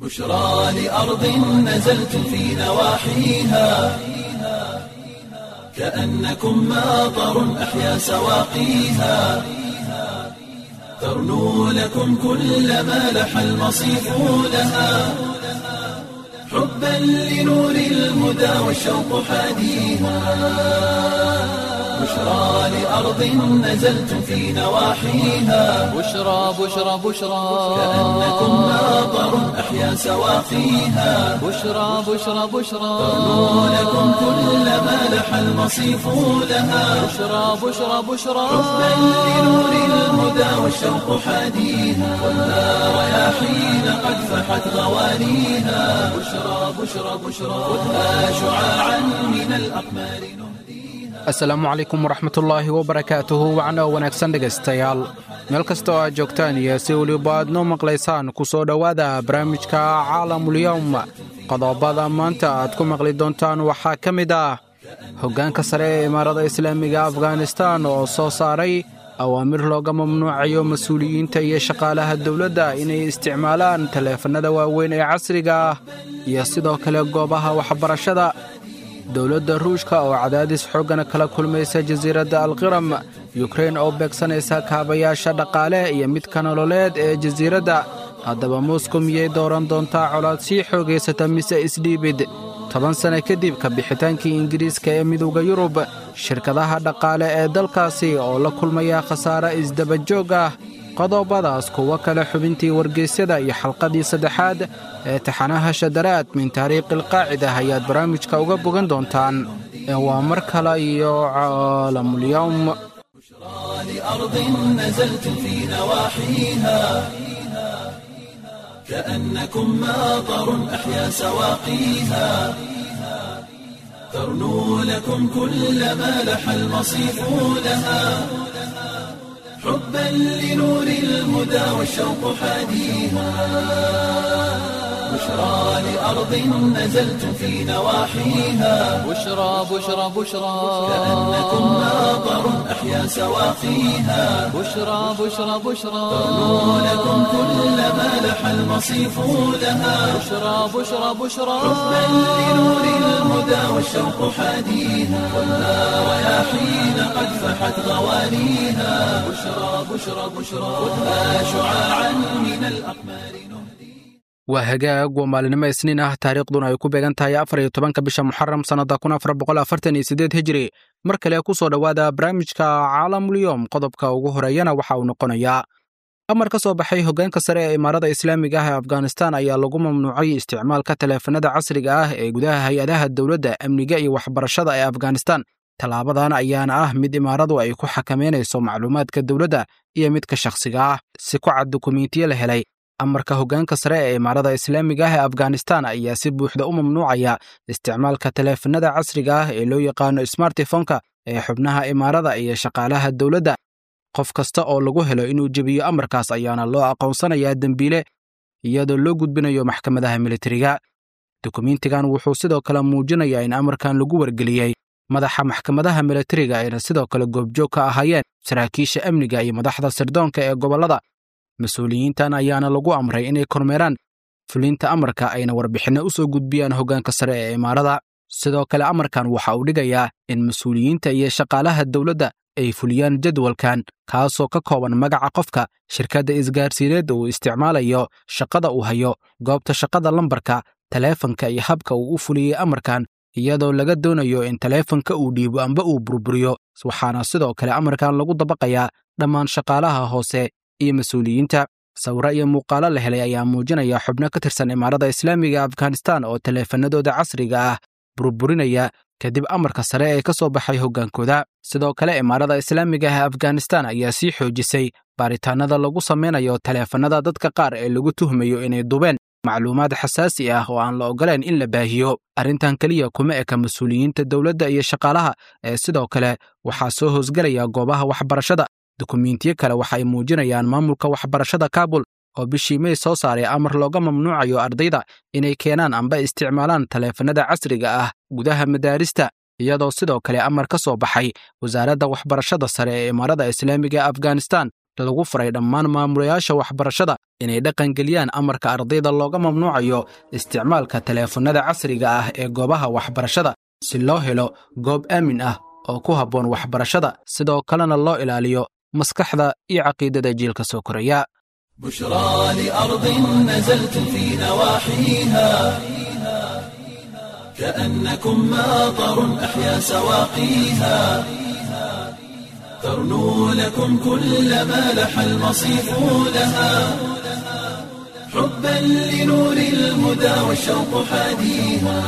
بشرى لأرض نزلتم في نواحيها كأنكم ماطر أحيا سواقيها ترنو لكم كل ما لح المصيف لها حبا لنور الهدى والشوق حاديها بشرى لأرض نزلتم في نواحيها بشرى بشرى بشرى كأنكم ماطر أحيا سواقيها بشرى بشرى بشرى ترنو لكم كل ما لح المصيف لها بشرى بشرى بشرى حبا لنور الهدى والشوق حاديها خذها رياحين قد فحت غوانيها بشرى بشرى بشرى خذها شعاعا من الأقمار Asalaamu calaykum waraxmatullaahi wabarakaatuhu wacan oo wanaagsan dhegaystayaal meel kasta oo aad joogtaan iyo si weliba aad noo maqlaysaan ku soo dhowaada barnaamijka caalamulyowm. Qodobada maanta aad ku maqli doontaan waxaa ka mid ah hoggaanka sare ee imaarada islaamiga Afghanistan oo soo saaray awaamir looga mamnuucayo mas-uuliyiinta iyo shaqaalaha dowladda inay isticmaalaan taleefannada waaweyn ee casriga ah iyo sidoo kale goobaha waxbarashada. Dowladda Ruushka oo cadaadis xooggan kala kulmaysa jasiiradda Alqiram, Yukrein oo beegsanaysa kaabayaasha dhaqaale iyo midka nololeed ee jasiiradda. Haddaba Moscow miyay dooran doontaa colaad sii xoogaysata mise isdhiibid? 10 sano kadib ka bixitaankii Ingiriiska ee Midowda Yurub, shirkadaha dhaqaale ee dalkaasi oo la kulmaya khasaare isdabajoog ah. Qodobadaas, kuwo kale, xubintii wargeysyada iyo xalqadii saddexaad ee taxanaha Shadaraad min Taariikhi Alqaacida ayaad barnaamijka uga bogan doontaan. Ee waa mar kale iyo Caalamulyowm. لأرض نزلتم في نواحيها كأنكم ماطر أحيا سواقيها ترنو لكم كل ما لح المصيف لها حبا لنور الهدى والشوق حاديها بشرى لأرض نزلتم في نواحيها بشرى بشرى بشرى كأنكم ماطر أحيا سواقيها بشرى بشرى بشرى ترنو لكم كل ما لح المصيف لها بشرى بشرى بشرى حبا لنور الهدى والشوق حاديها خذها رياحين قد فحت غوانيها بشرى بشرى بشرى خذها شعاعا من الأقمار. Waa hagaag, waa maalinimo Isniin ah, taariikhduna ay ku beegan tahay 14-ka bisha Muxaram sannadda 1448 Hijri. Mar kale ku soo dhowaada barnaamijka Caalamulyoom. Qodobka ugu horeeyana waxa uu noqonayaa amar ka soo baxay hoggaanka sare ee imaarada islaamiga ah ee Afghanistan ayaa lagu mamnuucay isticmaalka taleefanada casriga ah ee gudaha hay-adaha dowladda, amniga iyo waxbarashada ee Afghanistan. Tallaabadan ayaana ah mid imaaradu ay ku xakameynayso macluumaadka dowladda iyo midka shakhsiga ah, si ku cad dukumiintiyo la helay. Amarka hoggaanka sare ee imaarada islaamiga ah ee Afghanistan ayaa si buuxda u mamnuucaya isticmaalka taleefanada casriga ah ee loo yaqaano smartifonka ee xubnaha imaarada iyo shaqaalaha dowladda. Qof kasta oo lagu helo inuu jebiyo amarkaas ayaana loo aqoonsanayaa dembiile, iyadoo loo gudbinayo maxkamadaha militariga. Dukumiintigan wuxuu sidoo kale muujinayaa in amarkan lagu wargeliyey madaxa maxkamadaha militariga, ayna sidoo kale goobjoog ka ahaayeen saraakiisha amniga iyo madaxda sirdoonka ee gobollada. Mas-uuliyiintan ayaana lagu amray inay kormeeraan fulinta amarka, ayna warbixinno u soo gudbiyaan hoggaanka sare ee imaarada. Sidoo kale amarkan waxa uu dhigayaa in mas-uuliyiinta iyo shaqaalaha dowladda ay fuliyaan jadwalkan, kaasoo ka kooban magaca qofka, shirkadda isgaarsiineedda uu isticmaalayo, shaqada uu hayo, goobta shaqada, lambarka taleefanka iyo habka uu u fuliyey amarkan, iyadoo laga doonayo in taleefanka uu dhiibo amba uu burburiyo. Waxaana sidoo kale amarkan lagu dabaqayaa dhammaan shaqaalaha hoose iyo mas-uuliyiinta. Sawiro iyo muuqaalo la helay ayaa muujinaya xubno ka tirsan imaarada islaamiga Afghanistan oo taleefanadooda casriga ah burburinaya kadib amarka sare ee ka soo baxay hoggaankooda. Sidoo kale imaarada islaamiga ah ee Afghanistan ayaa sii xoojisay baaritaanada lagu samaynayo taleefanada dadka qaar ee lagu tuhmayo inay dubeen macluumaad xasaasi ah oo aan la ogolayn in la baahiyo. Arrintan keliya kuma eka mas-uuliyiinta dowladda iyo shaqaalaha, ee sidoo kale waxaa soo hoosgelaya goobaha waxbarashada. Dukumiintiyo kale waxay muujinayaan maamulka waxbarashada Kaabul oo bishii May soo saaray amar looga mamnuucayo ardayda inay keenaan amba isticmaalaan taleefanada casriga ah gudaha madaarista, iyadoo sidoo kale amar ka soo baxay wasaaradda waxbarashada sare ee imaarada islaamiga ee Afghanistan lagu furay dhammaan maamulayaasha waxbarashada. Inay dhaqangeliyaan amarka ardayda looga mamnuucayo isticmaalka taleefannada casriga ah ee goobaha waxbarashada si loo helo goob aamin ah oo ku habboon waxbarashada, sidoo kalena loo ilaaliyo maskaxda iyo caqiidada jiilka soo koraya. بشرى لأرض نزلت في نواحيها كأنكم ماطر أحيا سواقيها ترنو لكم كل ما لح المصيف لها حبا لنور الهدى والشوق حاديها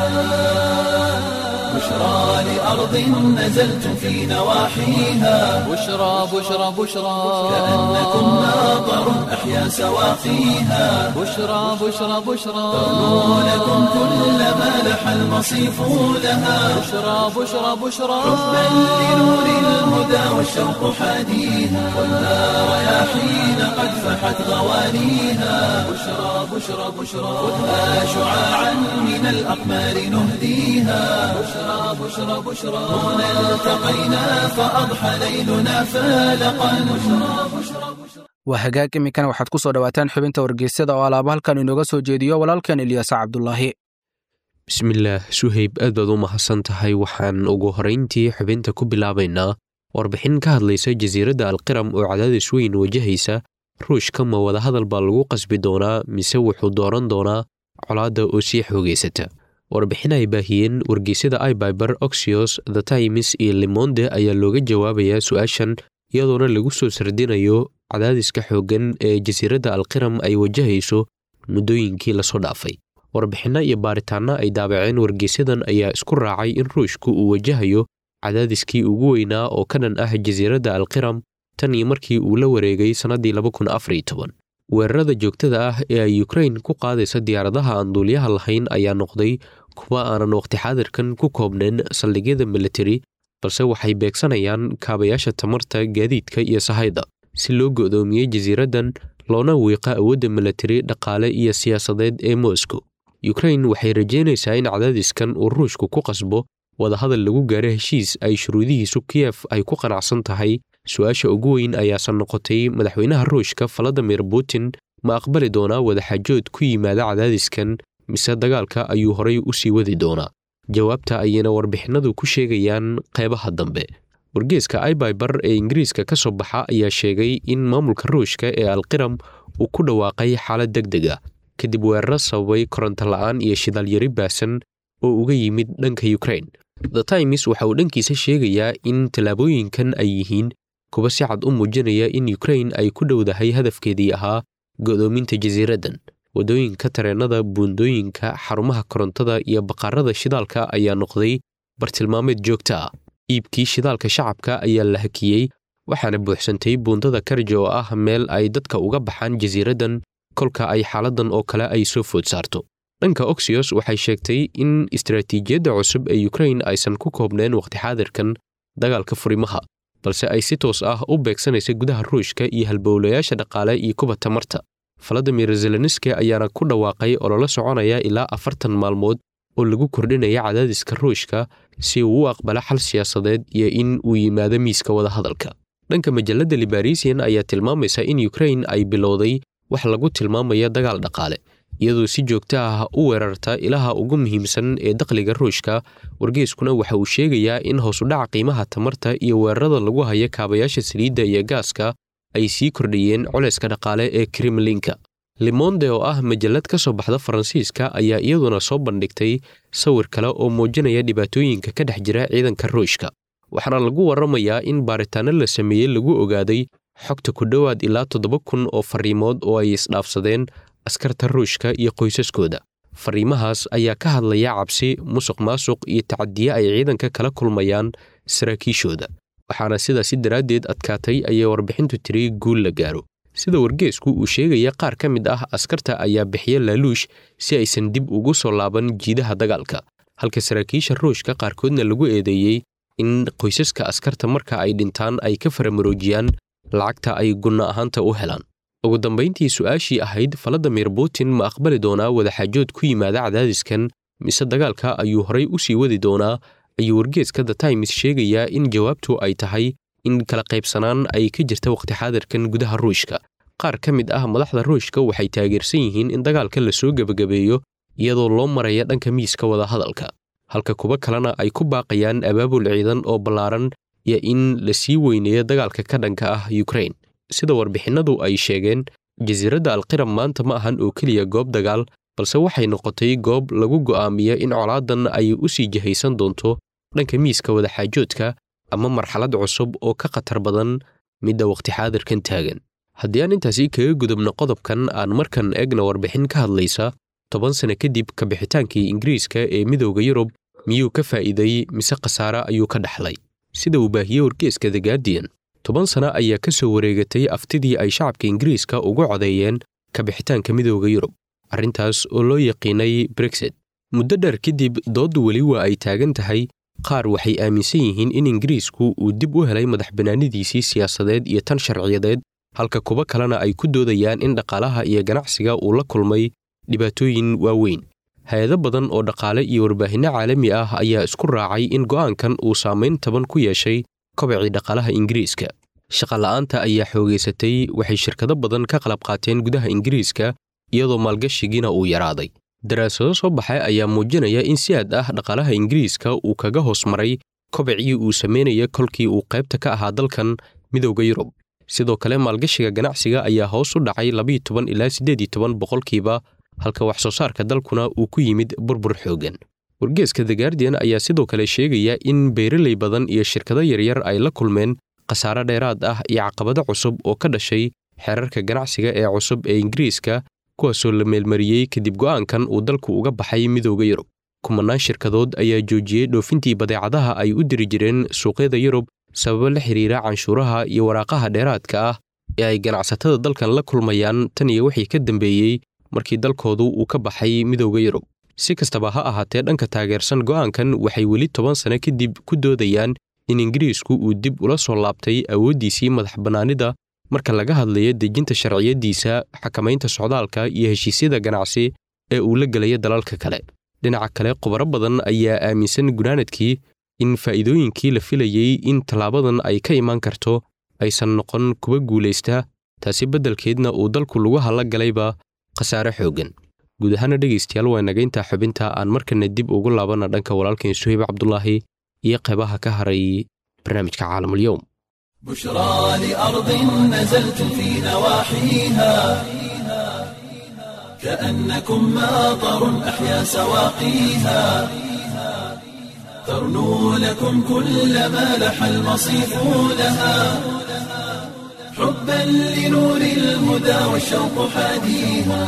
بشرى لأرض نزلت في نواحيها بشرى بشرى بشرى كأنكم ماطر أحيا سواقيها بشرى بشرى بشرى ترنو لكم كل ما لح المصيف لها بشرى بشرى بشرى حبا لنور الهدى والشوق حاديها والنار يا حين قد فحت غوانيها بشرى بشرى بشرى خذها شعاعا من الأقمار نهديها بشرى بشرى بشرى هنا التقينا فأضحى ليلنا فالقا بشرى بشرى بشرى Waa hagaag, iminkana waxaad ku soo dhowaataan xubinta wargeysyada oo alaaba halkan inooga soo jeediyo walaalkan Ilyaas Cabdulaahi. Bismillaah Suhayb, aad baad u mahadsan tahay. Waxaan ugu horrayntii xubinta ku bilaabaynaa warbixin ka hadlaysa jasiiradda Alqiram oo cadaadis weyn wajahaysa. Ruushka ma wadahadal baa lagu qasbi doonaa mise wuxuu dooran doonaa colaadda oo sii xoogaysata? Warbixin ay baahiyeen wargeysyada iBiber, Oxios, The Times iyo Lemonde ayaa looga jawaabayaa su-aashan, iyadoona lagu soo sardinayo cadaadiska xooggan ee jasiiradda Alqiram ay wajahayso muddooyinkii lasoo dhaafay. Warbixinno iyo baaritaanno ay daabaceen wargeysyadan ayaa isku raacay in Ruushku uu wajahayo cadaadiskii ugu weynaa oo ka dhan ah jasiiradda Alqiram tan iyo markii uu la wareegay sannaddii. Weerarada joogtada ah ee ay Ukrain ku qaadaysa diyaaradaha aan duuliyaha lahayn ayaa noqday kuwa aanan waqti xaadirkan ku koobnayn saldhigyada militari, balse waxay beegsanayaan kaabayaasha tamarta, gaadiidka iyo sahayda si loo go'doomiyey jasiiraddan loona wiiqa awoodda militari, dhaqaale iyo siyaasadeed ee Moscow. Ukrain waxay rajaynaysaa in cadaadiskan uu Ruushku ku qasbo wadahadal lagu gaaro heshiis ay shuruudihiisu Kiyef ay ku qanacsan tahay. Su-aasha ugu weyn ayaasan noqotay, madaxweynaha Ruushka Valadimir Putin ma aqbali doonaa wadaxaajood ku yimaada cadaadiskan mise dagaalka ayuu horay u sii wadi doonaa? Jawaabta ayayna warbixinadu ku sheegayaan qeybaha dambe. Wargeeska iBiber ee Ingiriiska ka soo baxa ayaa sheegay in maamulka Ruushka ee Alqiram uu ku dhawaaqay xaalad deg deg ah kadib weeraro sababay koronto la'aan iyo shidaalyari baasan oo uga yimid dhanka Ukrain. The Times waxa uu dhankiisa sheegayaa in tallaabooyinkan ay yihiin kuwa si cad u muujinaya in Ukrain ay ku dhowdahay hadafkeedii ahaa go'doominta jasiiraddan. Waddooyinka tareennada, buundooyinka, xarumaha korontada iyo baqaarada shidaalka ayaa noqday bartilmaameed joogto ah. Iibkii shidaalka shacabka ayaa la hakiyey, waxaana buuxsantay buundada Karja oo ah meel ay dadka uga baxaan jasiiraddan kolka ay xaaladdan oo kale ay soo food saarto. Dhanka Oxios waxay sheegtay in istaraatiijiyadda cusub ee Ukrain aysan ku koobnayn waqti xaadirkan dagaalka furimaha, balse ay si toos ah u beegsanaysa gudaha Ruushka iyo halbowlayaasha dhaqaale iyo kuwa tamarta. Valadimir Zelenski ayaana ku dhawaaqay ololo soconaya ilaa 40 maalmood oo lagu kordhinaya cadaadiska Ruushka si uu u aqbalo xal siyaasadeed iyo in uu yimaado miiska wadahadalka. Dhanka majalladda Liberation ayaa tilmaamaysa in Ukrain ay bilowday wax lagu tilmaamaya dagaal dhaqaale, iyadoo si joogto ah u weerarta ilaha ugu muhiimsan ee dakhliga Ruushka. Wargeyskuna waxa uu sheegayaa in hoos u dhaca qiimaha tamarta iyo weerarada lagu hayo kaabayaasha saliidda iyo gaaska ay sii kordhiyeen culayska dhaqaale ee Kremlinka. Lemonde oo ah majallad ka soo baxda Faransiiska ayaa iyaduna soo bandhigtay sawir kale oo muujinaya dhibaatooyinka ka dhex jira ciidanka Ruushka, waxaana lagu warramayaa in baaritaanno la sameeyey lagu ogaaday xogta ku dhowaad ilaa 7000 oo fariimood oo ay isdhaafsadeen askarta Ruushka iyo qoysaskooda. Fariimahaas ayaa ka hadlaya cabsi, musuq maasuq iyo tacadiye ay ciidanka kala kulmayaan saraakiishooda, waxaana sidaasi daraaddeed adkaatay ayay warbixintu tiri guul la gaaro. Sida wargeesku uu sheegaya, qaar ka mid ah askarta ayaa bixiya laaluush si aysan dib ugu soo laaban jiidaha dagaalka, halka saraakiisha Ruushka qaarkoodna lagu eedeeyey in qoysaska askarta marka ay dhintaan ay ka faramaroojiyaan lacagta ay gunno ahaanta u helaan. Ugu dambayntii, su-aashii ahayd Valadimir Putin ma aqbali doonaa wadaxaajood ku yimaada cadaadiskan mise dagaalka ayuu horay u sii wadi doonaa, ayuu wargeeska The Times sheegayaa in jawaabtu ay tahay in kala qaybsanaan ay ka jirta waqti xaadirkan gudaha Ruushka, Qaar ka mid ah madaxda Ruushka waxay taageersan yihiin in dagaalka la soo gebagabeeyo iyadoo loo maraya dhanka miiska wadahadalka, halka kuwo kalena ay ku baaqayaan abaabul ciidan oo ballaaran iyo in la sii weyneeyo dagaalka ka dhanka ah Ukraine. Sida warbixinnadu ay sheegeen, jasiiradda Alqiram maanta ma ahan oo keliya goob dagaal, balse waxay noqotay goob lagu go'aamiyo in colaadan ay u sii jihaysan doonto dhanka miiska wadaxaajoodka ama marxalad cusub oo ka khatar badan midda waqti xaadirkan taagan. Haddii aan intaasi kaga gudubno qodobkan, aan markan eegna warbixin ka hadlaysa 10 sano kadib kabixitaankii Ingiriiska ee Midowda Yurub, miyuu ka faa'iiday mise khasaare ayuu ka dhaxlay? Sida uu baahiyey wargeyska The Guardian, 10 sano ayaa ka soo wareegatay aftidii ay shacabka Ingiriiska ugu codeeyeen kabixitaanka Midowda Yurub, arrintaas oo loo yaqiinay Brexit. Muddo dheer kadib, dooddu weli waa ay taagan tahay. Qaar waxay aaminsan yihiin in Ingiriisku uu dib u helay madax bannaanidiisii siyaasadeed iyo tan sharciyadeed, halka kuwo kalena ay ku doodayaan in dhaqaalaha iyo ganacsiga uu la kulmay dhibaatooyin waaweyn. Hay-ado badan oo dhaqaale iyo warbaahinno caalami ah ayaa isku raacay in go'aankan uu saamayn taban ku yeeshay kobacii dhaqaalaha Ingiriiska. Shaqola'aanta ayaa xoogaysatay, waxay shirkado badan ka qalab qaateen gudaha Ingiriiska, iyadoo maalgashigiina uu yaraaday. Daraasado soo baxay ayaa muujinaya in si aad ah dhaqaalaha Ingiriiska uu kaga hoos maray kobacii uu sameynaya kolkii uu qaybta ka ahaa dalkan Midowda Yurub. Sidoo kale, maalgashiga ganacsiga ayaa hoos u dhacay 12 ilaa 18%, halka wax soo saarka dalkuna uu ku yimid burbur xooggan. Wargeeska The Guardian ayaa sidoo kale sheegaya in beeraley badan iyo shirkado yaryar ay la kulmeen khasaare dheeraad ah iyo caqabado cusub oo ka dhashay xeerarka ganacsiga ee cusub ee Ingiriiska, kuwaasoo la meelmariyey kadib go'aankan uu dalku uga baxay Midowda Yurub. Kumanaan shirkadood ayaa joojiyey dhoofintii badeecadaha ay u diri jireen suuqyada Yurub sababo la xiriira canshuuraha iyo waraaqaha dheeraadka ah ee ay ganacsatada dalkan la kulmayaan tan iyo wixii ka dambeeyey markii dalkoodu uu ka baxay Midowda Yurub. Si kastaba ha ahaatee, dhanka taageersan go'aankan waxay weli 10 sano kadib ku doodayaan in Ingiriisku uu dib ula soo laabtay awooddiisii madax bannaanida marka laga hadlayo dejinta sharciyadiisa, xakamaynta socdaalka iyo heshiisyada ganacsi ee uu la gelayo dalalka kale. Dhinaca kale, khubaro badan ayaa aaminsan gunaanadkii in faa'iidooyinkii la filayey in tallaabadan ay ka imaan karto aysan noqon kuwa guulaysta, taasi beddelkeedna uu dalku lagu hala galayba khasaare xooggan. Guud ahaana dhegaystayaal, waa naga intaa xubinta. Aan markana dib ugu laabana dhanka walaalkeen Suhayb Cabdulaahi iyo qaybaha ka haray barnaamijka Caalamulyowm. بشرى لأرض نزلت في نواحيها، كأنكم ماطر أحيا سواقيها، ترنو لكم كل ما لح المصيف لها، حبا لنور الهدى والشوق حاديها.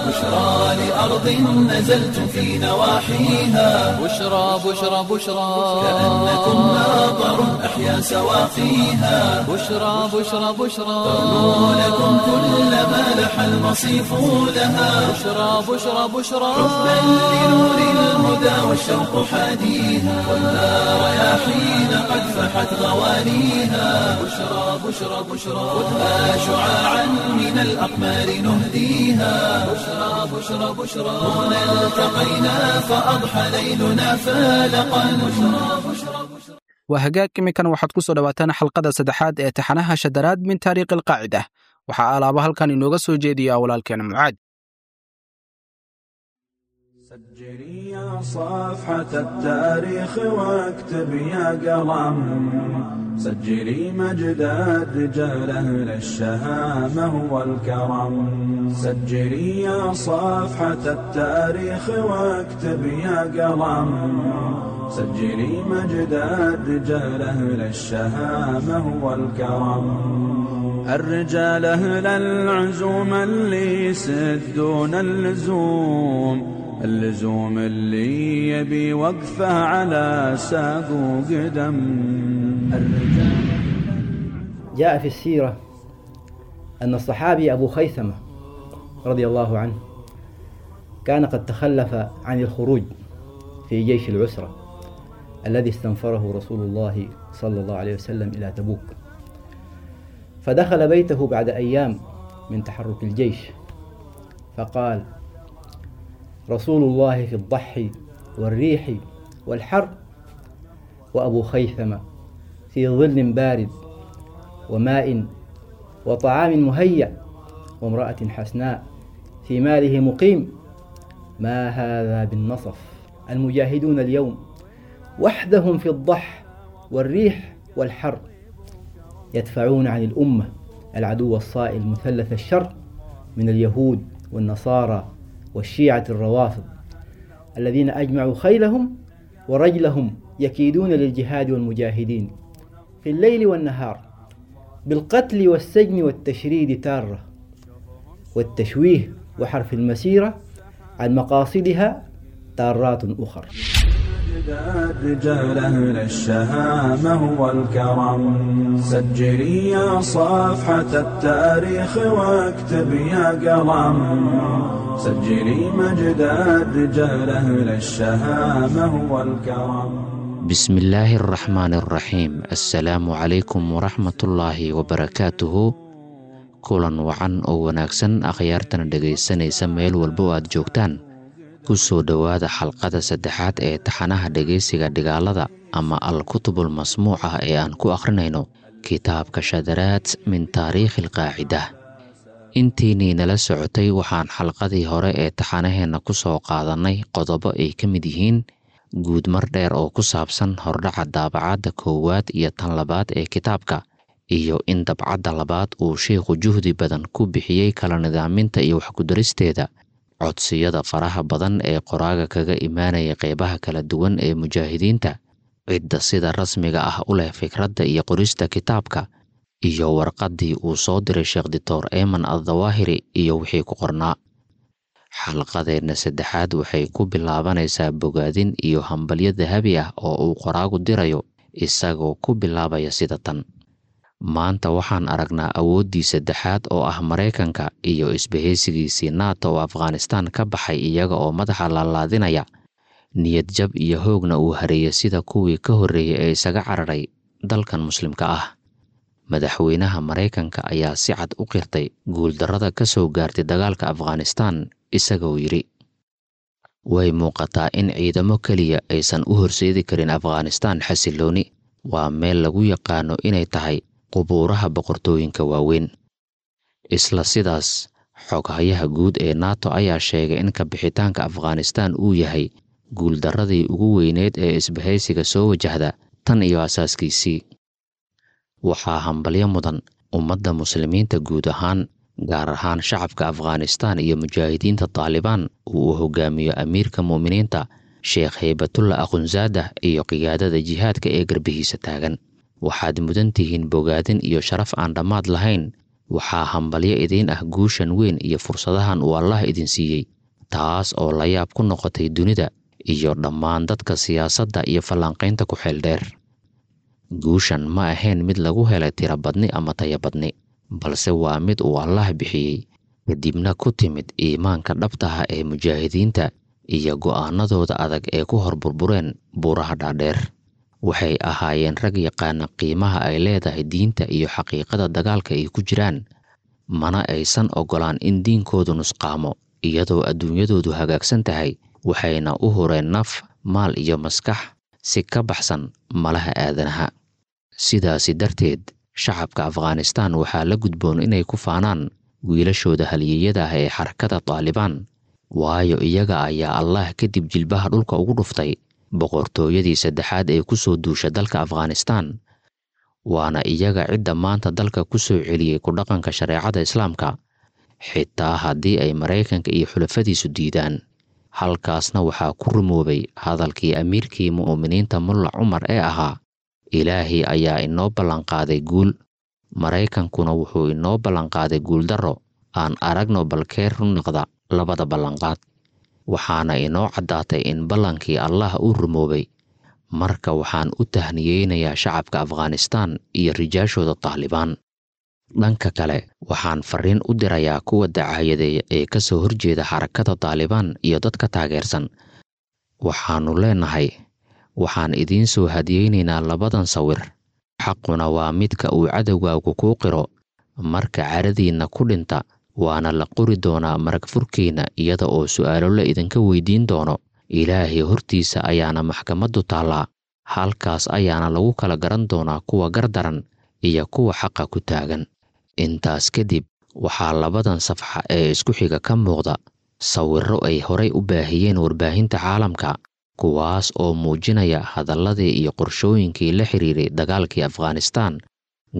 بشرى لأرض نزلت في نواحيها، بشرى بشرى بشرى، كأنكم ماطر أحيا سواقيها، بشرى بشرى بشرى، ترنو لكم كل ما لح المصيف لها، بشرى بشرى بشرى، حبا لنور الهدى والشوق حاديها، والنار يا حين قد فحت غوانيها، بشرى بشرى بشرى، خذها شعاعا من الأقمار نهديها، بشرى بشرى بشرى، هنا التقينا فأضحى ليلنا فالقا، بشرى بشرى بشرى. Waa hagaag. Imikan waxaad ku soo dhowaataan xalqada saddexaad ee taxanaha Shadaraad min Taariikhi Alqaacida. Waxaa alaaba halkan inooga soo jeediya walaalkeena Mucaad. سجلي يا صفحة التاريخ واكتب يا قلم، سجلي مجد الرجال أهل الشهامة والكرم. سجلي يا صفحة التاريخ واكتب يا قلم، سجلي مجد الرجال أهل الشهامة والكرم. الرجال أهل العزوم اللي يسدون اللزوم، اللزوم اللي يبي وقفه على ساق وقدم. الرجال جاء في السيرة أن الصحابي أبو خيثمة رضي الله عنه كان قد تخلف عن الخروج في جيش العسرة الذي استنفره رسول الله صلى الله عليه وسلم إلى تبوك، فدخل بيته بعد أيام من تحرك الجيش فقال: رسول الله في الضحي والريح والحر، وأبو خيثمة في ظل بارد وماء وطعام مهيأ وامرأة حسناء في ماله مقيم. ما هذا بالنصف؟ المجاهدون اليوم وحدهم في الضح والريح والحر، يدفعون عن الأمة العدو الصائل مثلث الشر من اليهود والنصارى والشيعة الروافض الذين أجمعوا خيلهم ورجلهم يكيدون للجهاد والمجاهدين في الليل والنهار بالقتل والسجن والتشريد تارة، والتشويه وحرف المسيرة عن مقاصدها تارات أخر. رجال أهل الشهامة والكرم، سجلي يا صفحة التاريخ واكتب يا قلم، سجلي مجد الرجال أهل الشهامة والكرم. بسم الله الرحمن الرحيم. السلام عليكم ورحمة الله وبركاته. Kulan wacan oo wanaagsan akhyaartana dhegaysanaysa meel walba oo aad joogtaan. Ku soo dhowaada xalqada saddexaad ee taxanaha dhegaysiga dhigaalada ama al-kutubul masmuuca ee aan ku akhrinayno kitaabka Shadaraat min Taariikhil Qaacida. Intiinii nala socotay waxaan xalqadii hore ee taxanaheenna ku soo qaadannay qodobo ay ka mid yihiin guudmar dheer oo ku saabsan hordhaca daabacadda koowaad iyo tan labaad ee kitaabka, iyo in dabcadda labaad uu sheikhu juhdi badan ku bixiyey kala nidaaminta iyo waxkudaristeeda, codsiyada faraha badan ee qoraaga kaga imaanaya qeybaha kala duwan ee mujaahidiinta, cidda sida rasmiga ah u leh fikradda iyo qorista kitaabka, iyo warqaddii uu soo diray Sheekh Dictor Eeman Addawaahiri iyo wixii ku qornaa. Xalqadeenna saddexaad waxay ku bilaabanaysaa bogaadin iyo hambalyo dahabi ah oo uu qoraagu dirayo, isagoo ku bilaabaya sida tan: maanta waxaan aragnaa awooddii saddexaad oo ah Maraykanka iyo isbahaysigiisii NATO oo Afghanistan ka baxay iyaga oo madaxa laalaadinaya, niyad jab iyo hoogna uu hareeyay sida kuwii ka horreeyay ee isaga cararay dalkan muslimka ah. Madaxweynaha Maraykanka ayaa si cad u qirtay guuldarrada ka soo gaartay dagaalka Afghanistan, isagoo yidhi: way muuqataa in ciidamo keliya aysan u horseedi karin Afghanistan xasillooni. Waa meel lagu yaqaano inay tahay qubuuraha boqortooyinka waaweyn. Isla sidaas, xoghayaha guud ee NATO ayaa sheegay in kabixitaanka Afghanistan uu yahay guuldarradii ugu weyneed ee isbahaysiga soo wajahda tan iyo asaaskiisii. Waxaa hambalyo mudan ummadda muslimiinta guud ahaan, gaar ahaan shacabka Afghanistan iyo mujaahidiinta Taalibaan uu u hogaamiyo amiirka mu'miniinta Sheekh Heybatullah Akhunzaada iyo qiyaadada jihaadka ee garbihiisa taagan. Waxaad mudan tihiin bogaadin iyo sharaf aan dhammaad lahayn. Waxaa hambalyo idiin ah guushan weyn iyo fursadahan uu Allah idin siiyey, taas oo la yaab ku noqotay dunida iyo dhammaan dadka siyaasadda iyo falanqaynta ku xeel dheer. Guushan ma ahayn mid lagu helay tirabadni ama tayabadni, balse waa mid uu Allah bixiyey, kadibna ku timid iimaanka dhabta ah ee mujaahidiinta iyo go'aanadooda adag ee ku hor burbureen buuraha dhaadheer. Waxay ahaayeen rag yaqaana qiimaha ay leedahay diinta iyo xaqiiqada dagaalka ay ku jiraan, mana aysan oggolaan in diinkoodu nusqaamo iyadoo adduunyadoodu hagaagsan tahay. Waxayna u hureen naf, maal iyo maskax si ka baxsan malaha aadanaha. Sidaasi darteed, shacabka Afghanistan waxaa la gudboon inay ku faanaan wiilashooda halyeeyada ah ee xarakada Taalibaan, waayo iyaga ayaa Allah kadib jilbaha dhulka ugu dhuftay boqortooyadii saddexaad ee ku soo duusha dalka Afghanistan. Waana iyaga cidda maanta dalka ku soo celiyey ku dhaqanka shareecada Islaamka, xitaa haddii ay Maraykanka iyo xulafadiisu diidaan. Halkaasna waxaa ku rumoobay hadalkii amiirkii mu'miniinta Mulla Cumar ee ahaa: Ilaahay ayaa inoo ballanqaaday guul, Maraykankuna wuxuu inoo ballanqaaday guuldarro. Aan aragno balkeer run noqda labada ballanqaad. Waxaana inoo caddaatay in ballankii Allah uu rumoobay. Marka waxaan u tahniyeynayaa shacabka Afghanistan iyo rijaashooda Taalibaan. Dhanka kale, waxaan fariin u dirayaa kuwa dacaayadeeya ee ka soo horjeeda xarakada Taalibaan iyo dadka taageersan. Waxaannu leenahay, waxaan idiin soo hadiyeynaynaa labadan sawir. Xaquna waa midka uu cadowgaagu kuu qiro marka caradiinna ku dhinta, waana la qori doonaa marag furkiinna iyada oo su'aalo la idinka weydiin doono. Ilaahay hortiisa ayaana maxkamaddu taallaa, halkaas ayaana lagu kala garan doonaa kuwa gardaran iyo kuwa xaqa ku taagan. Intaas kadib waxaa labadan safxa ee isku xiga ka muuqda sawirro ay horay u baahiyeen warbaahinta caalamka, kuwaas oo muujinaya hadalladii iyo qorshooyinkii la xiriiray dagaalkii Afghanistan,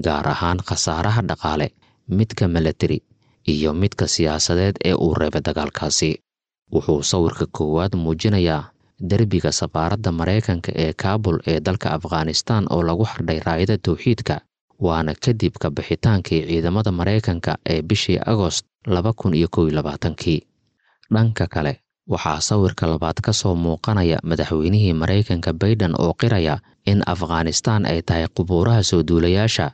gaar ahaan khasaaraha dhaqaale, midka milatari iyo midka siyaasadeed ee uu reebay dagaalkaasi. Wuxuu sawirka koowaad muujinayaa derbiga safaaradda Maraykanka ee Kaabul ee dalka Afghanistan oo lagu xardhay raayada towxiidka, waana kadib ka bixitaankii ciidamada Maraykanka ee bishii Agost 2021kii. Dhanka kale, waxaa sawirka labaad ka soo muuqanaya madaxweynihii Maraykanka Bayden oo qiraya in Afghanistan ay tahay qubuuraha soo duulayaasha,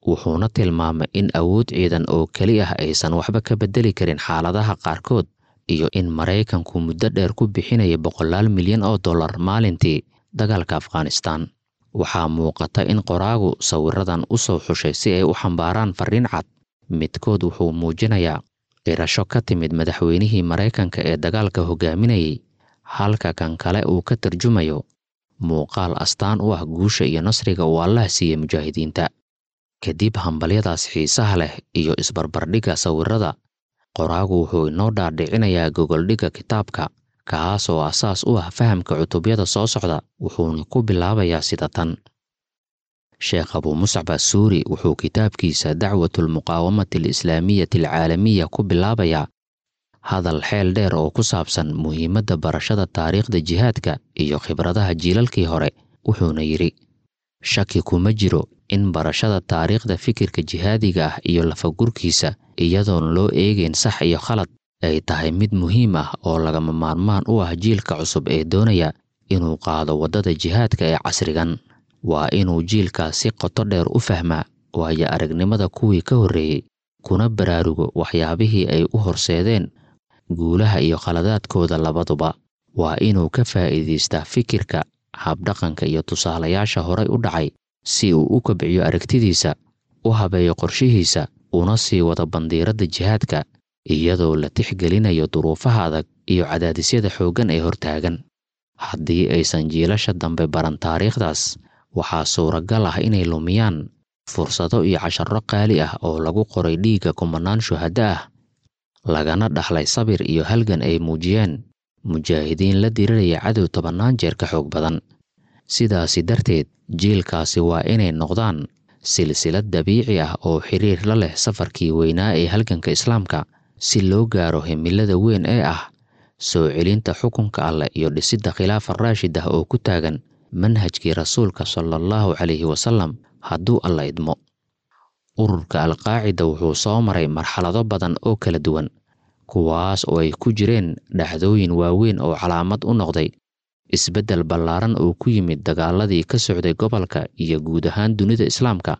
wuxuuna tilmaamay in awood ciidan oo keli ah aysan waxba ka beddeli karin xaaladaha qaarkood, iyo in Maraykanku muddo dheer ku bixinaya boqolaal milyan oo dollar maalintii dagaalka Afghanistan. Waxaa muuqata in qoraagu sawiradan u soo xushay si ay u xambaaraan farriin cad. Midkood wuxuu muujinayaa qirasho ka timid madaxweynihii Maraykanka ee dagaalka hogaaminayay, halka kan kale uu ka tarjumayo muuqaal astaan u ah guusha iyo nasriga uu Allah siiyey mujaahidiinta. Kadib hambalyadaas xiisaha leh iyo isbarbardhigga sawirada, qoraagu wuxuu inoo dhaadhicinayaa gogoldhigga kitaabka, kaas oo asaas u ah fahamka cutubyada soo socda, wuxuuna ku bilaabayaa sida tan. Sheekh Abuu Muscab Assuuri wuxuu kitaabkiisa Dacwatulmuqaawamati Alislaamiyati Alcaalamiya ku bilaabayaa hadal xeel dheer oo ku saabsan muhiimadda barashada taariikhda jihaadka iyo khibradaha jiilalkii hore, wuxuuna yidhi: shaki kuma jiro in barashada taariikhda fikirka jihaadiga ah iyo lafagurkiisa, iyadoon loo eegayn sax iyo khalad, ay tahay mid muhiim ah oo lagama maarmaan u ah jiilka cusub ee doonaya inuu qaado waddada jihaadka ee casrigan. Waa inuu jiilkaas si qoto dheer u fahmaa waayo aragnimada kuwii ka horreeyey, kuna baraarugo waxyaabihii ay u horseedeen guulaha iyo khaladaadkooda labaduba. Waa inuu ka faa'iidaystaa fikirka, habdhaqanka iyo tusaalayaasha horay u dhacay si uu u kobciyo aragtidiisa, u habeeyo qorshihiisa, una sii wado bandiiradda jihaadka, iyadoo la tixgelinayo duruufaha adag iyo cadaadisyada xooggan ee hortaagan. Haddii aysan jiilasha dambe baran taariikhdaas, waxaa suuragal ah inay lumiyaan fursado iyo casharro qaali ah oo lagu qoray dhiigga kumanaan shuhaddo ah, lagana dhaxlay sabir iyo halgan ay muujiyeen mujaahidiin la diriraya cadow tobannaan jeer ka xoog badan. Sidaasi darteed, jiilkaasi waa inay noqdaan silsilad dabiici ah oo xiriir la leh safarkii weynaa ee halganka islaamka, si loo gaaro himilada weyn ee ah soo celinta xukunka alleh iyo dhisidda khilaafa raashid ah oo ku taagan manhajkii rasuulka sala allahu calayhi wasalam, hadduu alla idmo. Ururka Alqaacida wuxuu soo maray marxalado badan oo kala duwan, kuwaas oo ay ku jireen dhacdooyin waaweyn oo calaamad u noqday isbeddel ballaaran oo ku yimid dagaaladii ka socday gobolka iyo guud ahaan dunida islaamka,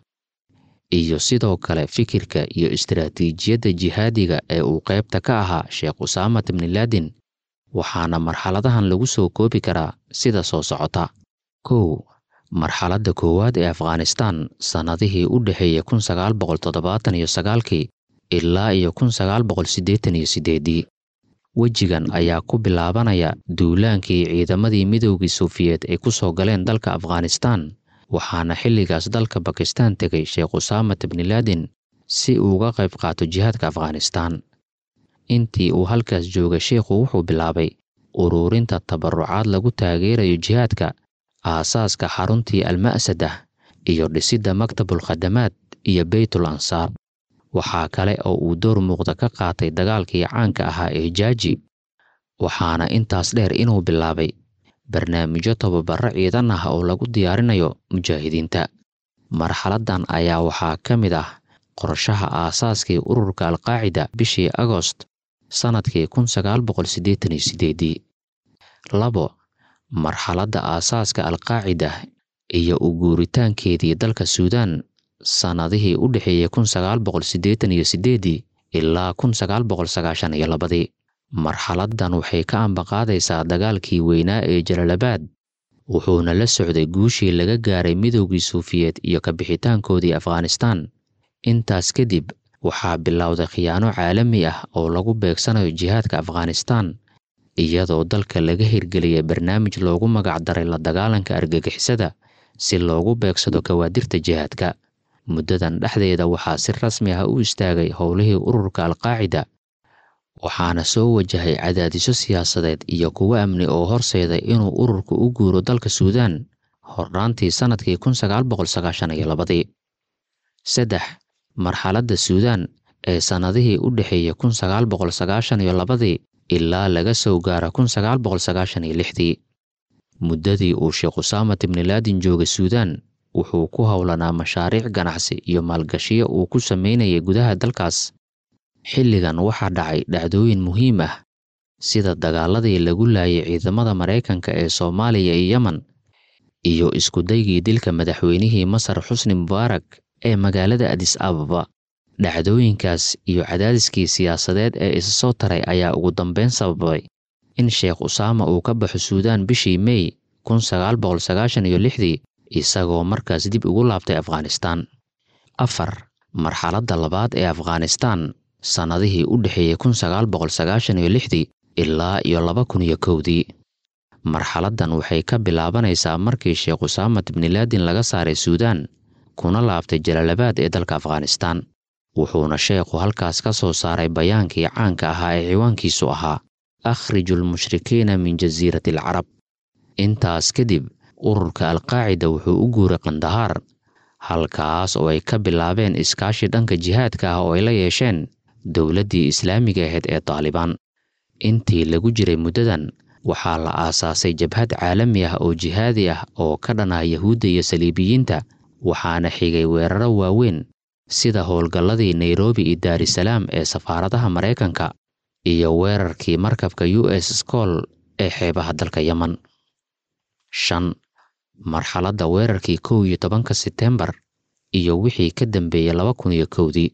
iyo sidoo kale fikirka iyo istiraatiijiyadda jihaadiga ee uu qaybta ka ahaa Sheekh Usaama ibni Laadin. Waxaana marxaladahan lagu soo koobi karaa sida soo socota. 1. Marxaladda koowaad ee Afghanistan, sannadihii u dhexeeyey 1979kii ilaa iyo 1988. Wejigan ayaa ku bilaabanaya duulaankii ciidamadii Midoogii Sofiyeet ay ku soo galeen dalka Afghanistan, waxaana xilligaas dalka Bakistan tegay Sheekh Usaama ibni Laadin si uu uga qayb qaato jihaadka Afghanistan. Intii uu halkaas joogay, sheikhu wuxuu bilaabay ururinta tabarucaad lagu taageerayo jihaadka, aasaaska xaruntii Alma'sadah iyo dhisidda Maktabul Khadamaad iyo Beytul Ansaar. Waxaa kale oo uu door muuqda ka qaatay dagaalkii caanka ahaa ee Jaaji, waxaana intaas dheer inuu bilaabay barnaamijyo tababarro ciidan ah oo lagu diyaarinayo mujaahidiinta. Marxaladdan ayaa waxaa ka mid ah qorshaha aasaaskii ururka Alqaacida bishii Agost sannadkii 1988. 2. Marxaladda aasaaska Alqaacida iyo u guuritaankeedii dalka Suudaan, sannadihii u dhexeeyey 1988 ilaa 1992. Marxaladdan waxay ka ambaqaadaysaa dagaalkii weynaa ee Jalaalabaad, wuxuuna la socday guushii laga gaaray Midoogii Suufiyeed iyo ka bixitaankoodii Afghanistan. Intaas kadib waxaa bilowday khiyaano caalami ah oo lagu beegsanayo jihaadka Afghanistan, iyadoo dalka laga hirgeliyay barnaamij loogu magac daray la dagaalanka argagixisada si loogu beegsado kawaadirta jihaadka. Muddadan dhexdeeda waxaa si rasmi ah u istaagay howlihii ururka Alqaacida, waxaana soo wajahay cadaadisyo siyaasadeed iyo kuwo amni oo horseeday inuu ururku u guuro dalka Suudaan horraantii sannadkii 1992. 3. Marxaladda Suudaan ee sannadihii u dhexeeyey 1992dii ilaa laga soo gaaro 1996dii. Muddadii uu Sheekh Usaamat ibni Laadin joogay Suudaan, wuxuu ku howlanaa mashaariic ganacsi iyo maalgashiyo uu ku sameynayay gudaha dalkaas. Xilligan waxaa dhacay dhacdooyin muhiim ah sida dagaaladii lagu laayay ciidamada Maraykanka ee Soomaaliya iyo Yemen, iyo iskudaygii dilka madaxweynihii Masar Xusni Mubaarak ee magaalada Adis Ababa. Dhacdooyinkaas iyo cadaadiskii siyaasadeed ee isa soo taray ayaa ugu dambeyn sababay in Sheekh Usaama uu ka baxo Suudaan bishii Mey 1996dii, isagoo markaas dib ugu laabtay Afghanistaan. 4. Marxaladda labaad ee Afghanistaan sannadihii u dhexeeyey 1996dii ilaa iyo 2001dii. Marxaladdan waxay ka bilaabanaysaa markii Sheekh Usaamat ibni Laadin laga saaray Suudaan kuna laabtay Jalaalabaad ee dalka Afghanistaan. Wuxuuna sheekhu halkaas ka soo saaray bayaankii caanka ahaa ee ciwaankiisu ahaa Akhriju lmushrikiina min jasiirati alcarab. Intaas kadib ururka Alqaacida wuxuu u guuray Qandahaar, halkaas oo ay ka bilaabeen iskaashi dhanka jihaadka ah oo ay la yeesheen dowladdii islaamiga ahayd ee Taalibaan. Intii lagu jiray muddadan waxaa la aasaasay jabhad caalami ah oo jihaadi ah oo ka dhan ah Yahuudda iyo Saliibiyiinta, waxaana xigay weeraro waaweyn sida howlgalladii Nairobi iyo Daarisalaam ee safaaradaha Maraykanka iyo weerarkii markabka US School ee xeebaha dalka Yemen. 5. Marxaladda weerarkii 11-ka Sebtembar iyo wixii ka dambeeyey 2001dii.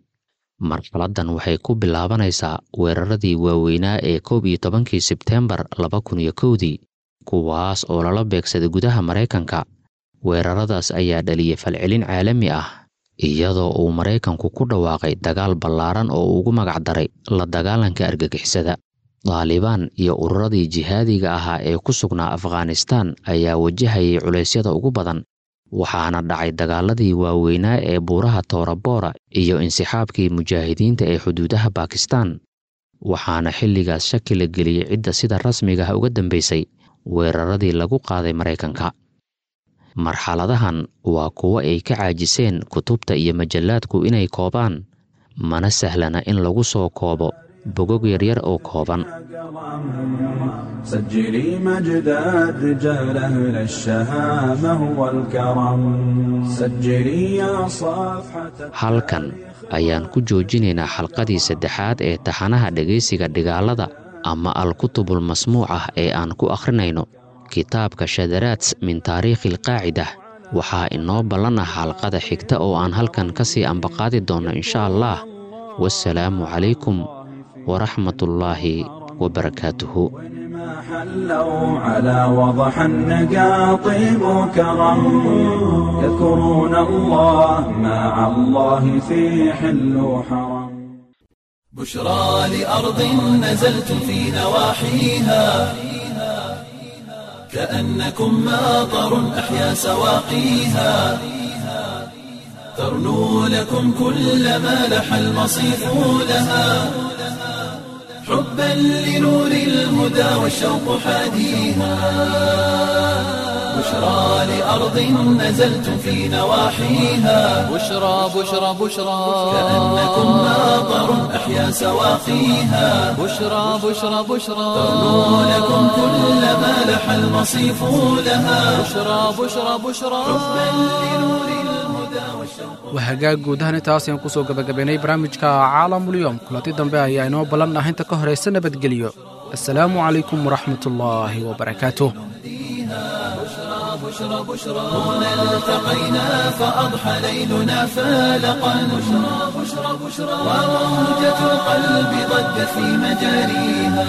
Marxaladdan waxay ku bilaabanaysaa weeraradii waaweynaa ee 11-kii Sebtembar 2001dii, kuwaas oo lala beegsaday gudaha Maraykanka. Weeraradaas ayaa dhaliyey falcelin caalami ah, iyadoo uu Maraykanku ku dhawaaqay dagaal ballaaran oo ugu magac daray la dagaalanka argagixisada. Taalibaan iyo ururadii jihaadiga ahaa ee ku sugnaa Afghanistaan ayaa wajahayay culeysyada ugu badan, waxaana dhacay dagaaladii waaweynaa ee buuraha Toora Boora iyo insixaabkii mujaahidiinta ee xuduudaha Baakistaan. Waxaana xilligaas shaki la geliyey cidda sida rasmiga ah uga dambeysay weeraradii lagu qaaday Maraykanka. Marxaladahan waa kuwo ay ka caajiseen kutubta iyo majallaadku inay koobaan, mana sahlana in lagu soo koobo bogog yaryar oo kooban. سجلي مجد الرجال أهل الشهامة والكرم سجلي يا صفحة. Halkan ayaan ku joojinaynaa xalqadii saddexaad ee taxanaha dhegaysiga dhigaalada ama al-kutubul masmuucah ee aan ku akhrinayno kitaabka Shadaraat min taariikhi alqaacida. Waxaa inoo ballan ah xalqada xigta oo aan halkan ka sii ambaqaadi doonno insha Allah. Wasalaamu calaykum waraxmatullaahi wabarakaatuhu. ما حلوا على وضح النقا طيب كرم، يذكرون الله مع الله في حل وحرم. بشرى لأرض نزلت في نواحيها، كأنكم ماطر أحيا سواقيها، ترنو لكم كل ما لح المصيف لها، حبا لنور الهدى والشوق حاديها. بشرى لأرض نزلت في نواحيها، بشرى بشرى بشرى، كأنكم ماطر أحيا سواقيها، بشرى بشرى بشرى، ترنو لكم كل ما لح المصيف لها، بشرى بشرى بشرى. حبا لنور الهدى والشوق. Waa hagaag, guud ahaan intaas ayaan kusoo gabagabaynay barnaamijka Caalamulyoom. Kulanti dambe ayaa inoo ballan ah, inta ka horaysa nabadgelyo. Assalaamu calaykum waraxmatullaahi wabarakaatuh. بشرى بشرى هنا التقينا فأضحى ليلنا فالقا، بشرى بشرى بشرى، وموجة القلب ضجت في مجاريها.